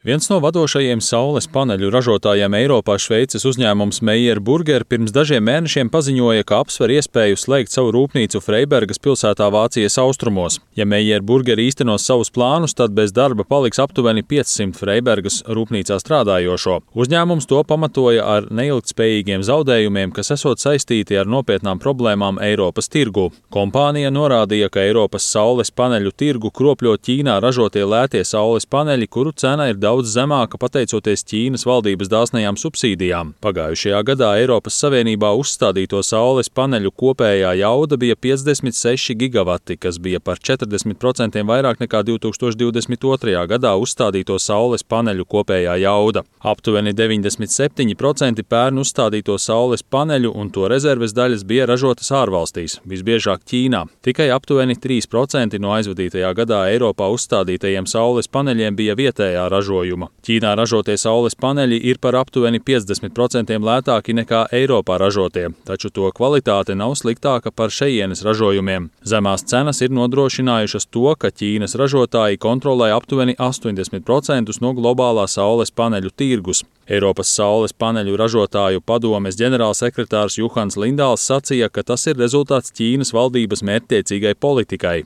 Viens no vadošajiem saules paneļu ražotājiem Eiropā Šveices uzņēmums Meyer Burger pirms dažiem mēnešiem paziņoja, ka apsver iespēju slēgt savu rūpnīcu Freibergas pilsētā Vācijas austrumos. Ja Meyer Burger īstenos savus plānus, tad bez darba paliks aptuveni 500 Freibergas rūpnīcā strādājošo. Uzņēmums to pamatoja ar neilgtspējīgiem zaudējumiem, kas esot saistīti ar nopietnām problēmām Eiropas tirgu. Kompānija norādīja, ka Eiropas saules paneļu tirgu kropļo Ķīnā ražotie lētie saules paneļi, kuru cena ir daudz zemāka pateicoties Ķīnas valdības dāsnajām subsīdijām. Pagājušajā gadā Eiropas Savienībā uzstādīto saules paneļu kopējā jauda bija 56 gigavati, kas bija par 40% vairāk nekā 2022. gadā uzstādīto saules paneļu kopējā jauda. Aptuveni 97% pērn uzstādīto saules paneļu un to rezerves daļas bija ražotas ārvalstīs, visbiežāk Ķīnā. Tikai aptuveni 3% no aizvadītajā gadā Eiropā uzstādītajiem saules paneļiem bija vietējā ražojuma. Ķīnā ražotie saules paneļi ir par aptuveni 50% lētāki nekā Eiropā ražotie, taču to kvalitāte nav sliktāka par šejienes ražojumiem. Zemās cenas ir nodrošinājušas to, ka Ķīnas ražotāji kontrolē aptuveni 80% no globālā saules paneļu tirgus. Eiropas saules paneļu ražotāju padomes ģenerālsekretārs Juhans Lindāls sacīja, ka tas ir rezultāts Ķīnas valdības mērķtiecīgai politikai.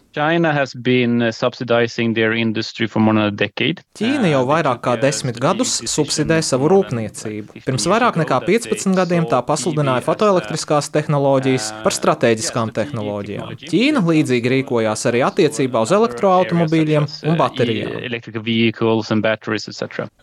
Ķīna jau vairāk kā 10 gadus subsidē savu rūpniecību. Pirms vairāk nekā 15 gadiem tā pasludināja fotoelektriskās tehnoloģijas par stratēģiskām tehnoloģijām. Ķīna līdzīgi rīkojās arī attiecībā uz elektroautomobīļiem un baterijām.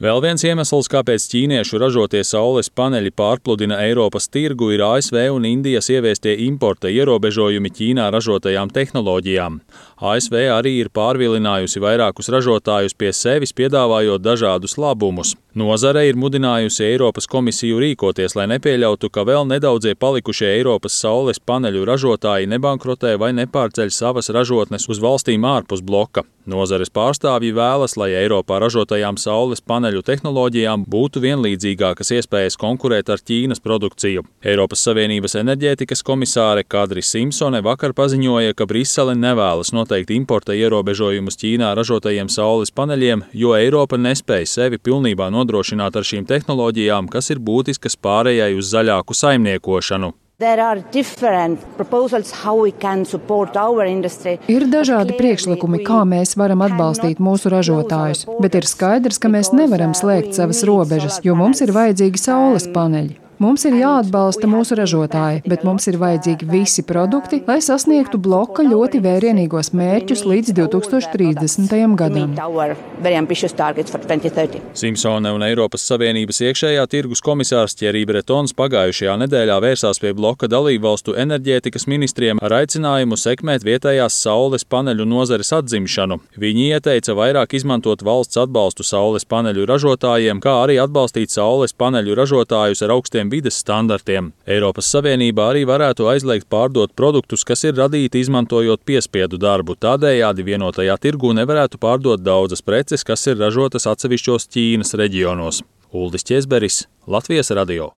Vēl viens iemesls, kāpēc ķīniešu ražotie saules paneļi pārpludina Eiropas tirgu, ir ASV un Indijas ieviestie importa ierobežojumi Ķīnā ražotajām tehnoloģijām. ASV arī ir pārvilinājusi vairākus ražotājus pie sevis, piedāvājot dažādus labumus. Nozare ir mudinājusi Eiropas komisiju rīkoties, lai nepieļautu, ka vēl nedaudzie palikušie Eiropas saules paneļu ražotāji nebankrotē vai nepārceļ savas ražotnes uz valstīm ārpus bloka. Nozares pārstāvji vēlas, lai Eiropā ražotajām saules paneļu tehnoloģijām būtu vienlīdzīgākas iespējas konkurēt ar Ķīnas produkciju. Eiropas Savienības enerģētikas komisāre Kadri Simpsone vakar paziņoja, ka Brisele nevēlas noteikt importa ierobežojumus Ķīnā ražotajiem saules paneļiem, jo Eiropa nespēj sevi pilnībā nodrošināt ar šīm tehnoloģijām, kas ir būtiskas pārējai uz zaļāku saimniekošanu. Ir dažādi priekšlikumi, kā mēs varam atbalstīt mūsu ražotājus, bet ir skaidrs, ka mēs nevaram slēgt savas robežas, jo mums ir vajadzīgi saules paneļi. Mums ir jāatbalsta mūsu ražotāji, bet mums ir vajadzīgi visi produkti, lai sasniegtu bloka ļoti vērienīgos mērķus līdz 2030. gadam. Simpsone un Eiropas Savienības iekšējā tirgus komisārs Thierry Bretons pagājušajā nedēļā vērsās pie bloka dalībvalstu enerģētikas ministriem ar aicinājumu sekmēt vietējās saules paneļu nozares atzimšanu. Viņi ieteica vairāk izmantot valsts atbalstu saules paneļu ražotājiem, kā arī atbalstīt saules paneļu ražotājus ar augstiem vides standartiem. Eiropas Savienībā arī varētu aizliegt pārdot produktus, kas ir radīti izmantojot piespiedu darbu. Tādējādi vienotajā tirgū nevarētu pārdot daudzas preces, kas ir ražotas atsevišķos Ķīnas reģionos. Uldis Ķezberis, Latvijas radio.